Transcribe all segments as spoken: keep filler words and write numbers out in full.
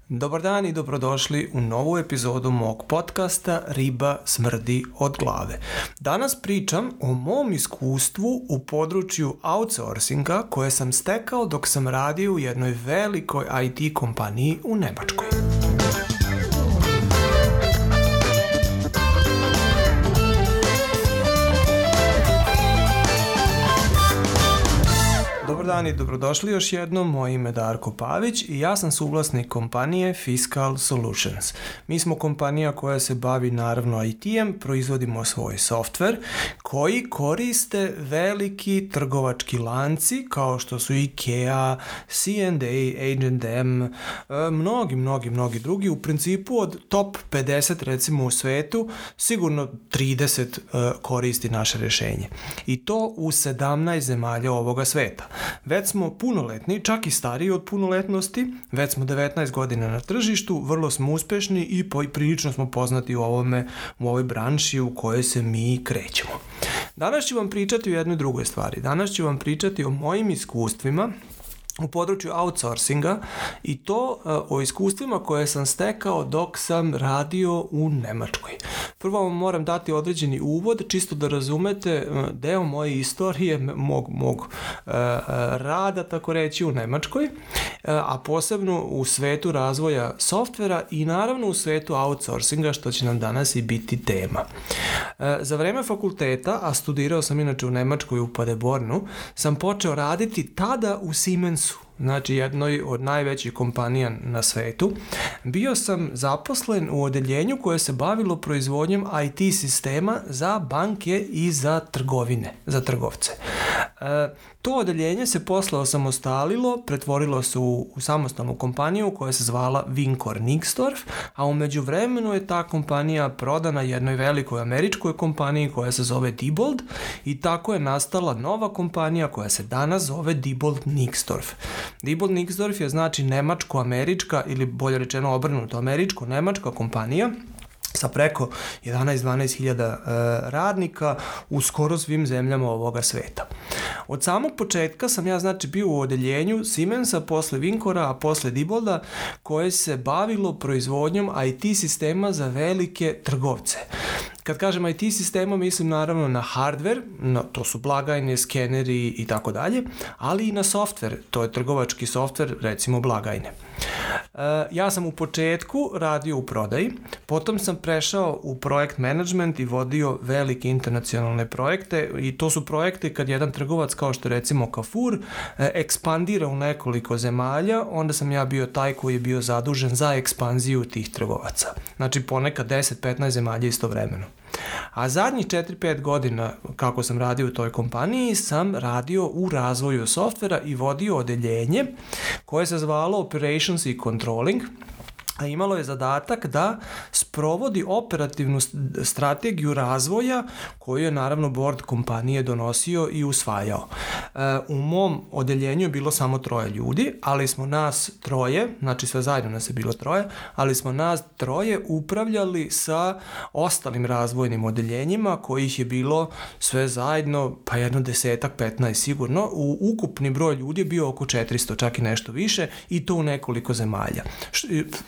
Dobar dan i dobrodošli u novu epizodu mog podcasta Riba smrdi od glave. Danas pričam o mom iskustvu u području outsourcinga koje sam stekao dok sam radio u jednoj velikoj I T kompaniji u Nemačkoj. Dobar dan i dobrodošli još jednom, moje ime je Darko Pavić i ja sam suvlasnik kompanije Fiscal Solutions. Mi smo kompanija koja se bavi naravno I T-em, proizvodimo svoj softver koji koriste veliki trgovački lanci kao što su IKEA, C and A, H and M, mnogi, mnogi, mnogi drugi. U principu od top pedeset recimo u svetu sigurno trideset koristi naše rješenje. I to u sedamnaest zemalja ovoga sveta. Već smo punoletni, čak i stariji od punoletnosti, već smo devetnaest godina na tržištu, vrlo smo uspešni i prilično smo poznati u, ovome, u ovoj branši u kojoj se mi krećemo. Danas ću vam pričati o jednoj drugoj stvari. Danas ću vam pričati o mojim iskustvima u području outsourcinga i to o iskustvima koje sam stekao dok sam radio u Nemačkoj. Prvo vam moram dati određeni uvod, čisto da razumete deo moje istorije, mog, mog uh, rada, tako reći, u Nemačkoj, uh, a posebno u svetu razvoja softvera i naravno u svetu outsourcinga, što će nam danas i biti tema. Uh, za vreme fakulteta, a studirao sam inače u Nemačkoj u Paderbornu, sam počeo raditi tada u Siemensu, znači jednoj od najvećih kompanija na svetu. Bio sam zaposlen u odeljenju koje se bavilo proizvodnjom I T sistema za banke i za trgovine, za trgovce. E, to odeljenje se posle osamostalilo, pretvorilo se u, u samostalnu kompaniju koja se zvala Wincor Nixdorf, a u međuvremenu je ta kompanija prodana jednoj velikoj američkoj kompaniji koja se zove Diebold i tako je nastala nova kompanija koja se danas zove Diebold Nixdorf. Diebold Nixdorf je znači nemačko-američka ili bolje rečeno obrnuto američko-nemačka kompanija sa preko jedanaest do dvanaest hiljada e, radnika u skoro svim zemljama ovoga sveta. Od samog početka sam ja znači bio u odeljenju Siemensa, posle Wincora, a posle Diebold'a, koje se bavilo proizvodnjom I T sistema za velike trgovce. Kad kažem I T sistema, mislim naravno na hardware, no, to su blagajne, skeneri i tako dalje, ali i na software, to je trgovački software, recimo blagajne. Uh, ja sam u početku radio u prodaji, potom sam prešao u projekt management i vodio velike internacionalne projekte i to su projekte kad jedan trgovac kao što recimo Carrefour uh, ekspandira u nekoliko zemalja, onda sam ja bio taj koji je bio zadužen za ekspanziju tih trgovaca. Znači ponekad deset do petnaest zemalja istovremeno. A zadnjih četiri do pet godina kako sam radio u toj kompaniji sam radio u razvoju softvera i vodio odeljenje koje se zvalo Operations i Controlling, a imalo je zadatak da sprovodi operativnu strategiju razvoja koju je naravno board kompanije donosio i usvajao. E, u mom odeljenju je bilo samo troje ljudi, ali smo nas troje, znači sve zajedno nas je bilo troje, ali smo nas troje upravljali sa ostalim razvojnim odeljenjima kojih je bilo sve zajedno pa jedno desetak, petnaest sigurno. U ukupni broj ljudi je bio oko četiristo, čak i nešto više i to u nekoliko zemalja.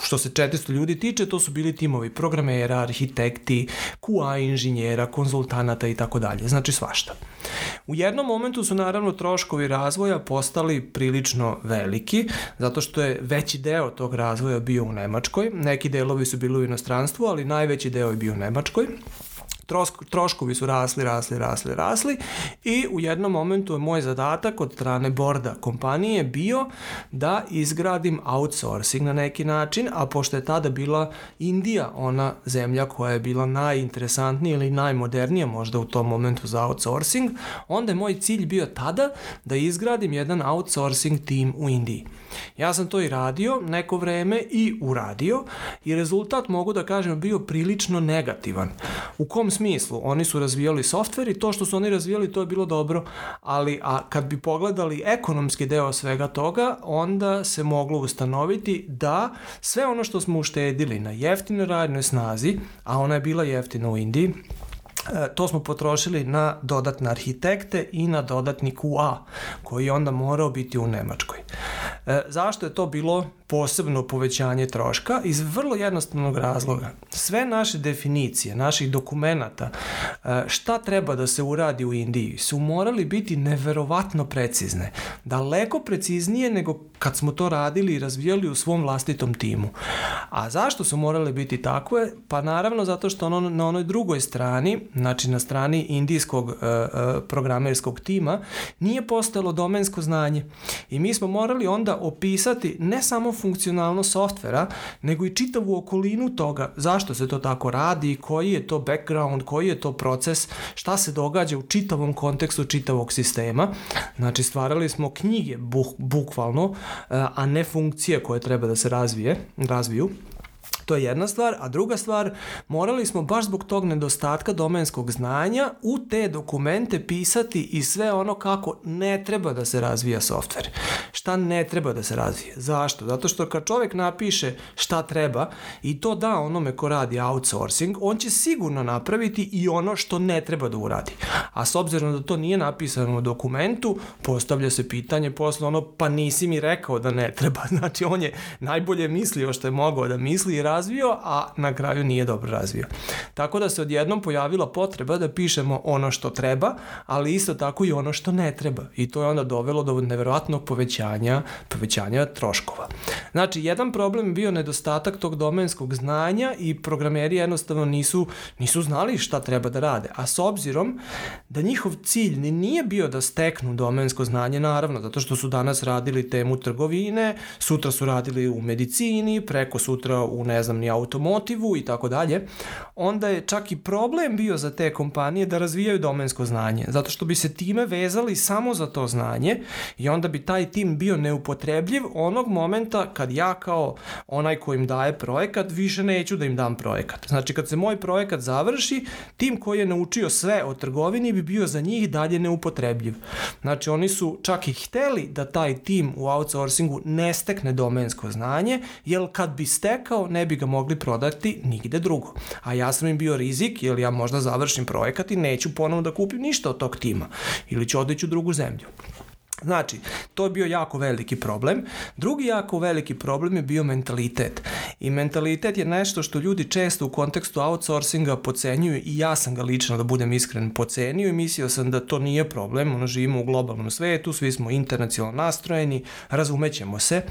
Što Što se četiristo ljudi tiče, to su bili timovi programera, arhitekti, Q A inženjera, konzultanata i tako dalje, znači svašta. U jednom momentu su naravno troškovi razvoja postali prilično veliki, zato što je veći deo tog razvoja bio u Nemačkoj, neki delovi su bili u inostranstvu, ali najveći deo je bio u Nemačkoj. Troškovi su rasli, rasli, rasli, rasli i u jednom momentu je moj zadatak od strane borda kompanije bio da izgradim outsourcing na neki način, a pošto je tada bila Indija ona zemlja koja je bila najinteresantnija ili najmodernija možda u tom momentu za outsourcing, onda je moj cilj bio tada da izgradim jedan outsourcing tim u Indiji. Ja sam to i radio neko vreme i uradio i rezultat mogu da kažem bio prilično negativan. U kom smislu? Oni su razvijali softver i to što su oni razvijali to je bilo dobro, ali a kad bi pogledali ekonomski deo svega toga, onda se moglo ustanoviti da sve ono što smo uštedili na jeftinoj radnoj snazi, a ona je bila jeftina u Indiji, to smo potrošili na dodatne arhitekte i na dodatni Q A koji je onda morao biti u Nemačkoj. E, zašto je to bilo posebno povećanje troška iz vrlo jednostavnog razloga. Sve naše definicije, naših dokumenata, šta treba da se uradi u Indiji, su morali biti neverovatno precizne. Daleko preciznije nego kad smo to radili i razvijali u svom vlastitom timu. A zašto su morale biti takve? Pa naravno zato što ono, na onoj drugoj strani, znači na strani indijskog uh, uh, programerskog tima, nije postojalo domensko znanje. I mi smo morali onda opisati ne samo funkcionalnost softvera, nego i čitavu okolinu toga, zašto se to tako radi, koji je to background, koji je to proces, šta se događa u čitavom kontekstu čitavog sistema. Znači stvarali smo knjige buh, bukvalno, a ne funkcije koje treba da se razvije, razviju. To je jedna stvar, a druga stvar, morali smo baš zbog tog nedostatka domenskog znanja u te dokumente pisati i sve ono kako ne treba da se razvija softver. Šta ne treba da se razvije. Zašto? Zato što kad čovjek napiše šta treba i to da onome ko radi outsourcing, on će sigurno napraviti i ono što ne treba da uradi. A s obzirom da to nije napisano u dokumentu, postavlja se pitanje posle ono, pa nisi mi rekao da ne treba. Znači on je najbolje mislio što je mogao da misli i razvio, a na kraju nije dobro razvio. Tako da se odjednom pojavila potreba da pišemo ono što treba, ali isto tako i ono što ne treba. I to je onda dovelo do neverovatnog povećanja, povećanja troškova. Znači, jedan problem je bio nedostatak tog domenskog znanja i programeri jednostavno nisu, nisu znali šta treba da rade. A s obzirom da njihov cilj nije bio da steknu domensko znanje, naravno, zato što su danas radili temu trgovine, sutra su radili u medicini, preko sutra u ne znam ni automotivu i tako dalje, onda je čak i problem bio za te kompanije da razvijaju domensko znanje, zato što bi se time vezali samo za to znanje i onda bi taj tim bio neupotrebljiv onog momenta kad ja kao onaj ko im daje projekat više neću da im dam projekat. Znači kad se moj projekat završi, tim koji je naučio sve o trgovini bi bio za njih dalje neupotrebljiv. Znači oni su čak i hteli da taj tim u outsourcingu ne stekne domensko znanje, jer kad bi stekao ne bi ga mogli prodati nigde drugo. A ja sam im bio rizik, jer ja možda završim projekat i neću ponovno da kupim ništa od tog tima. Ili ću odeći u drugu zemlju. Znači, to je bio jako veliki problem. Drugi jako veliki problem je bio mentalitet. I mentalitet je nešto što ljudi često u kontekstu outsourcinga podcenjuju i ja sam ga lično, da budem iskren, podcenio i mislio sam da to nije problem. Ono, živimo u globalnom svetu, svi smo internacionalno nastrojeni, razumećemo se.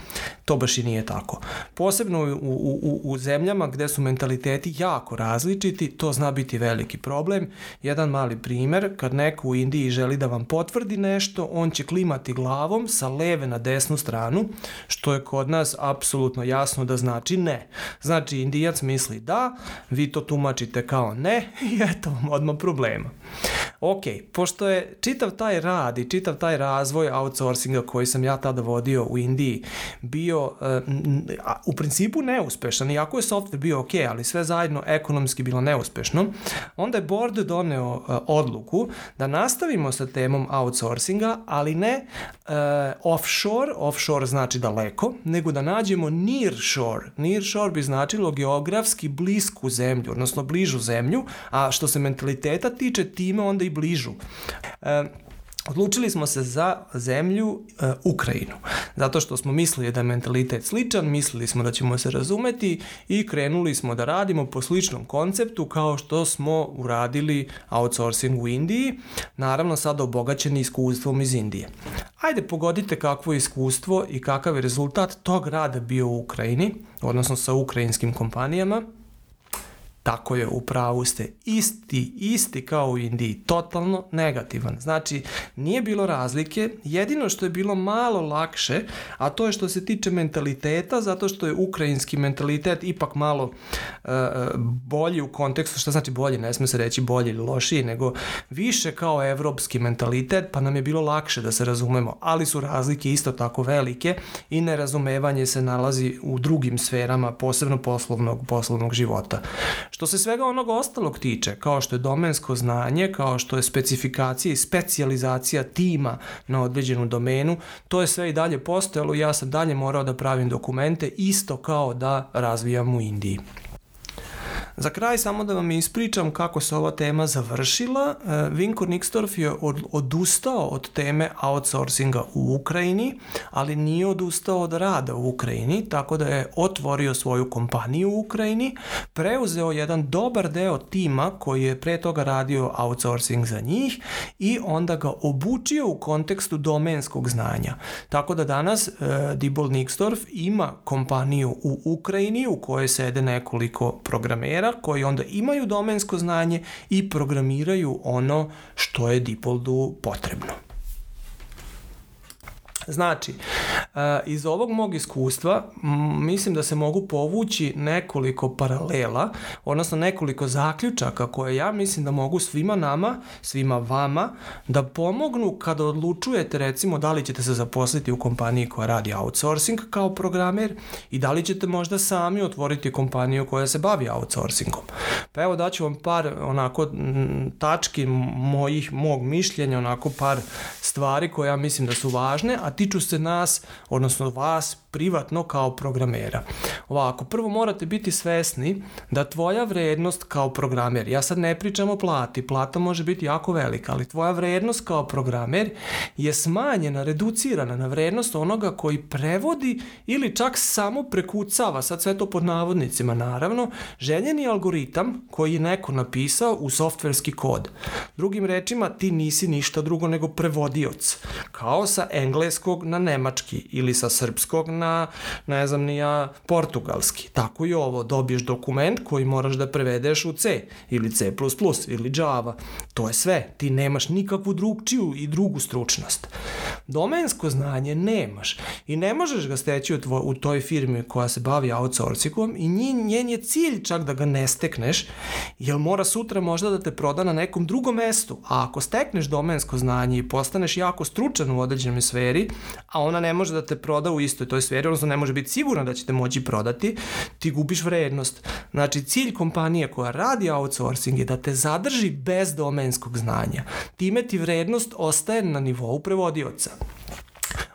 To baš i nije tako. Posebno u, u, u, u zemljama gde su mentaliteti jako različiti, to zna biti veliki problem. Jedan mali primer, kad neko u Indiji želi da vam potvrdi nešto, on će klimati glavom sa leve na desnu stranu, što je kod nas apsolutno jasno da znači ne. Znači, Indijac misli da, vi to tumačite kao ne i eto vam odmah problema. Ok, pošto je čitav taj rad i čitav taj razvoj outsourcinga koji sam ja tada vodio u Indiji bio uh, u principu neuspešan, iako je software bio ok, ali sve zajedno ekonomski bilo neuspešno, onda je board doneo uh, odluku da nastavimo sa temom outsourcinga, ali ne uh, offshore, offshore znači daleko, nego da nađemo nearshore. Nearshore bi značilo geografski blisku zemlju, odnosno bližu zemlju, a što se mentaliteta tiče, time onda i bližu. E, odlučili smo se za zemlju e, Ukrajinu, zato što smo mislili da je mentalitet sličan, mislili smo da ćemo se razumeti i krenuli smo da radimo po sličnom konceptu kao što smo uradili outsourcing u Indiji, naravno sada obogaćeni iskustvom iz Indije. Ajde pogodite kakvo je iskustvo i kakav je rezultat tog rada bio u Ukrajini, odnosno sa ukrajinskim kompanijama. Tako je, u pravu ste. Isti, isti kao u Indiji, totalno negativan. Znači, nije bilo razlike, jedino što je bilo malo lakše, a to je što se tiče mentaliteta, zato što je ukrajinski mentalitet ipak malo uh, bolji u kontekstu, šta znači bolji, ne sme se reći bolji ili lošiji, nego više kao evropski mentalitet, pa nam je bilo lakše da se razumemo, ali su razlike isto tako velike i nerazumevanje se nalazi u drugim sferama, posebno poslovnog, poslovnog života. Što se svega onog ostalog tiče, kao što je domensko znanje, kao što je specifikacija i specijalizacija tima na određenu domenu, to je sve i dalje postojalo i ja sam dalje morao da pravim dokumente isto kao da razvijam u Indiji. Za kraj samo da vam ispričam kako se ova tema završila. Vinko Nixdorf je odustao od teme outsourcinga u Ukrajini, ali nije odustao od rada u Ukrajini, tako da je otvorio svoju kompaniju u Ukrajini, preuzeo jedan dobar deo tima koji je pre toga radio outsourcing za njih i onda ga obučio u kontekstu domenskog znanja. Tako da danas uh, Diebold Nixdorf ima kompaniju u Ukrajini u kojoj sede nekoliko programera koji onda imaju domensko znanje i programiraju ono što je Dieboldu potrebno. Znači, iz ovog mog iskustva mislim da se mogu povući nekoliko paralela, odnosno nekoliko zaključaka koje ja mislim da mogu svima nama, svima vama da pomognu kada odlučujete recimo da li ćete se zaposliti u kompaniji koja radi outsourcing kao programer i da li ćete možda sami otvoriti kompaniju koja se bavi outsourcingom. Pa evo daću vam par onako tački mojih, mog mišljenja, onako par stvari koje ja mislim da su važne, a tiču se nas, odnosno vas privatno kao programera. Ovako, prvo morate biti svesni da tvoja vrednost kao programer, ja sad ne pričam o plati, plata može biti jako velika, ali tvoja vrednost kao programer je smanjena, reducirana na vrednost onoga koji prevodi ili čak samo prekucava, sad sve to pod navodnicima naravno, željeni algoritam koji je neko napisao u softverski kod. Drugim rečima, ti nisi ništa drugo nego prevodioc, kao sa engleskog na nemački ili sa srpskog na, ne znam ni ja, portugalski. Tako i ovo, dobiješ dokument koji moraš da prevedeš u C ili C plus plus ili Java. To je sve, ti nemaš nikakvu drugčiju i drugu stručnost. Domensko znanje nemaš i ne možeš ga steći u, tvoj, u toj firmi koja se bavi outsourcingom i njen je cilj čak da ga ne stekneš, jer mora sutra možda da te proda na nekom drugom mestu. A ako stekneš domensko znanje i postaneš jako stručan u određenoj sferi, a ona ne može da te proda u istoj toj sferi, odnosno ne može biti sigurna da će te moći prodati, ti gubiš vrednost. Znači, cilj kompanije koja radi outsourcing je da te zadrži bez domenskog znanja. Time ti vrednost ostaje na nivou prevodioca.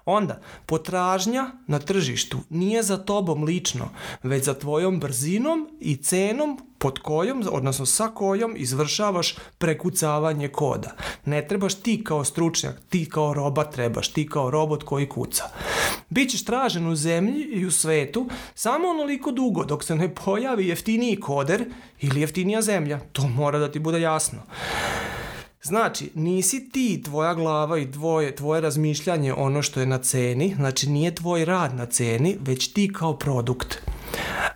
Onda, potražnja na tržištu nije za tobom lično, već za tvojom brzinom i cenom pod kojom, odnosno sa kojom izvršavaš prekucavanje koda. Ne trebaš ti kao stručnjak, ti kao roba trebaš, ti kao robot koji kuca. Bićeš tražen u zemlji i u svetu samo onoliko dugo dok se ne pojavi jeftiniji koder ili jeftinija zemlja. To mora da ti bude jasno. Znači, nisi ti, tvoja glava i tvoje, tvoje razmišljanje ono što je na ceni, znači nije tvoj rad na ceni, već ti kao produkt.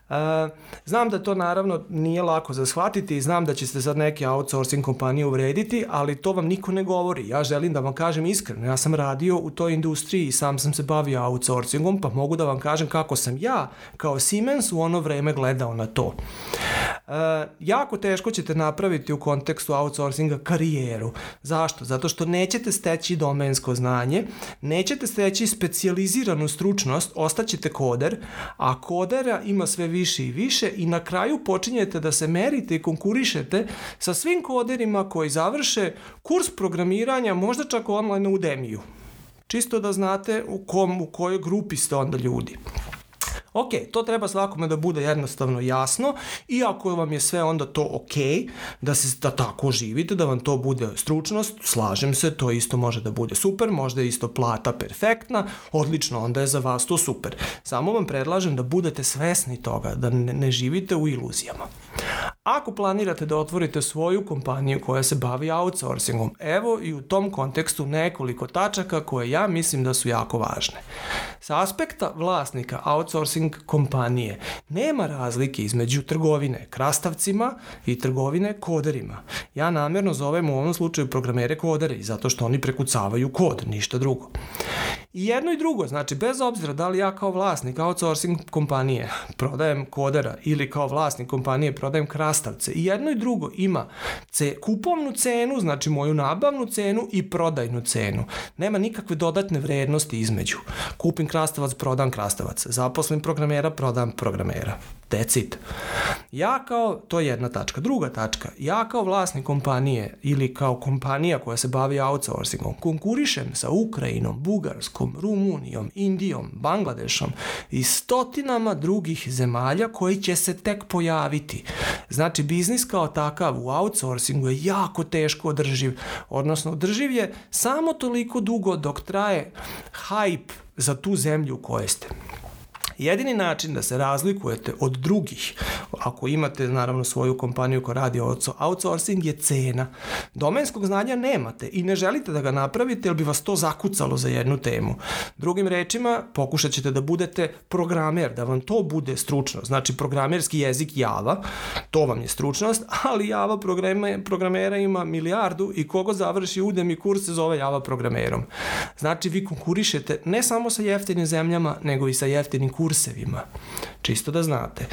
Uh, znam da to naravno nije lako za shvatiti i znam da će se sad neke outsourcing kompanije uvrediti, ali to vam niko ne govori. Ja želim da vam kažem iskreno, ja sam radio u toj industriji i sam sam se bavio outsourcingom, pa mogu da vam kažem kako sam ja kao Siemens u ono vreme gledao na to. Uh, jako teško ćete napraviti u kontekstu outsourcinga karijeru. Zašto? Zato što nećete steći domensko znanje, nećete steći specijaliziranu stručnost, ostaćete koder, a kodera ima sve više i više i na kraju počinjete da se merite i konkurišete sa svim koderima koji završe kurs programiranja, možda čak online na Udemiju. Čisto da znate u, kom, u kojoj grupi ste onda ljudi. Ok, to treba svakome da bude jednostavno jasno i ako vam je sve onda to ok, da se da tako živite, da vam to bude stručnost, slažem se, to isto može da bude super, možda je isto plata perfektna, odlično, onda je za vas to super. Samo vam predlažem da budete svesni toga, da ne, ne živite u iluzijama. Ako planirate da otvorite svoju kompaniju koja se bavi outsourcingom, evo i u tom kontekstu nekoliko tačaka koje ja mislim da su jako važne. Sa aspekta vlasnika outsourcing kompanije nema razlike između trgovine krastavcima i trgovine koderima. Ja namjerno zovem u ovom slučaju programere koderi, zato što oni prekucavaju kod, ništa drugo. I jedno i drugo, znači bez obzira da li ja kao vlasnik outsourcing kompanije prodajem kodera ili kao vlasnik kompanije prodajem krastavce, i jedno i drugo ima ce, kupovnu cenu, znači moju nabavnu cenu i prodajnu cenu. Nema nikakve dodatne vrednosti između. Kupim krastavac, prodam krastavac. Zaposlim programera, prodam programera. That's it. Ja kao, to je jedna tačka. Druga tačka, ja kao vlasnik kompanije ili kao kompanija koja se bavi outsourcingom konkurišem sa Ukrajinom, Bugarskom, Rumunijom, Indijom, Bangladešom i stotinama drugih zemalja koji će se tek pojaviti. Znači, biznis kao takav u outsourcingu je jako teško održiv, odnosno održiv je samo toliko dugo dok traje hype za tu zemlju u kojoj ste. Jedini način da se razlikujete od drugih, ako imate naravno svoju kompaniju koja radi outsourcing, je cena. Domenskog znanja nemate i ne želite da ga napravite jer bi vas to zakucalo za jednu temu. Drugim rečima, pokušat ćete da budete programer, da vam to bude stručno. Znači, programerski jezik Java, to vam je stručnost, ali Java programe, programera ima milijardu i kogo završi Udemy kurs se zove Java programerom. Znači, vi konkurišete ne samo sa jeftinim zemljama, nego i sa jeftinim kursevima. Čisto da znate.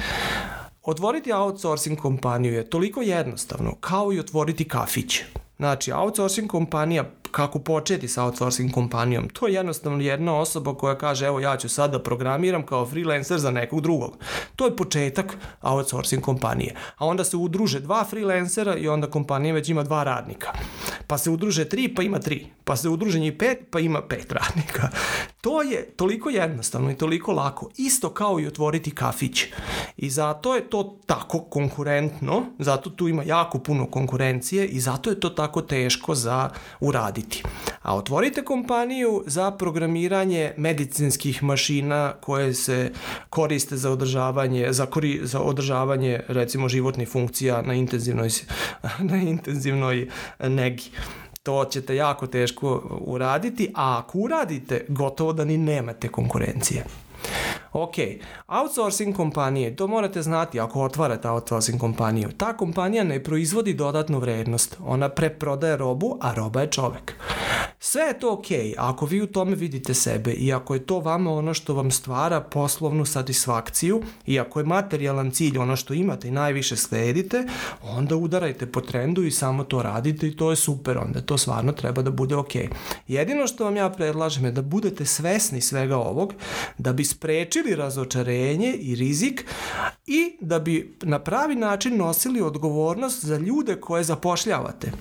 Otvoriti outsourcing kompaniju je toliko jednostavno kao i otvoriti kafić. Znači, outsourcing kompanija, kako početi sa outsourcing kompanijom, to je jednostavno jedna osoba koja kaže, evo ja ću sad da programiram kao freelancer za nekog drugog. To je početak outsourcing kompanije. A onda se udruže dva freelancera i onda kompanija već ima dva radnika. Pa se udruže tri, pa ima tri. Pa se udruže njih pet, pa ima pet radnika. To je toliko jednostavno i toliko lako. Isto kao i otvoriti kafić. I zato je to tako konkurentno, zato tu ima jako puno konkurencije i zato je to tako teško za uraditi. A otvorite kompaniju za programiranje medicinskih mašina koje se koriste za održavanje, za, kori, za održavanje recimo životnih funkcija na intenzivnoj, na intenzivnoj negi. To ćete jako teško uraditi, a ako uradite, gotovo da ni nemate konkurencije. Ok, outsourcing kompanije, to morate znati ako otvarate outsourcing kompaniju. Ta kompanija ne proizvodi dodatnu vrednost, ona preprodaje robu, a roba je čovek. Sve je to ok, ako vi u tome vidite sebe i ako je to vama ono što vam stvara poslovnu satisfakciju i ako je materijalan cilj ono što imate i najviše sledite, onda udarajte po trendu i samo to radite i to je super, onda to stvarno treba da bude ok. Jedino što vam ja predlažem je da budete svesni svega ovog, da bi sprečili razočarenje i rizik i da bi na pravi način nosili odgovornost za ljude koje zapošljavate.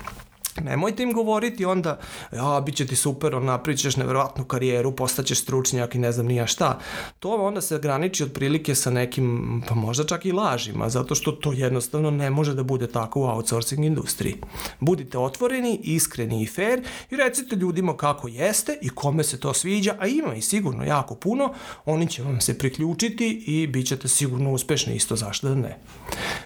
Nemojte im govoriti onda, ja, bit će ti super, on napravit ćeš nevjerojatnu karijeru, postaćeš stručnjak i ne znam nija šta. To onda se graniči otprilike sa nekim, pa možda čak i lažima, zato što to jednostavno ne može da bude tako u outsourcing industriji. Budite otvoreni, iskreni i fair i recite ljudima kako jeste i kome se to sviđa, a ima i sigurno jako puno, oni će vam se priključiti i bit ćete sigurno uspešni isto, zašto da ne.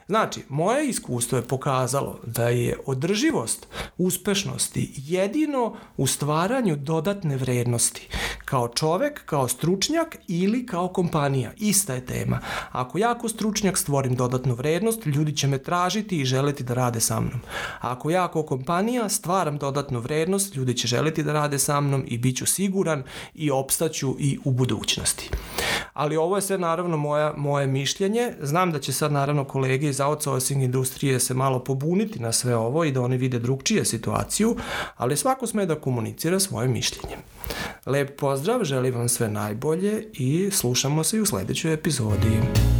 Znači, moje iskustvo je pokazalo da je održivost uspešnosti jedino u stvaranju dodatne vrednosti. Kao čovek, kao stručnjak ili kao kompanija. Ista je tema. Ako ja kao stručnjak stvorim dodatnu vrednost, ljudi će me tražiti i želiti da rade sa mnom. Ako ja kao kompanija stvaram dodatnu vrednost, ljudi će želiti da rade sa mnom i bit ću siguran i opstaću i u budućnosti. Ali ovo je sve naravno moja, moje mišljenje. Znam da će sad naravno kolege iz outsourcing industrije se malo pobuniti na sve ovo i da oni vide drugčije situaciju, ali svako sme da komunicira svoje mišljenje. Lep pozdrav, želim vam sve najbolje i slušamo se i u sledećoj epizodi.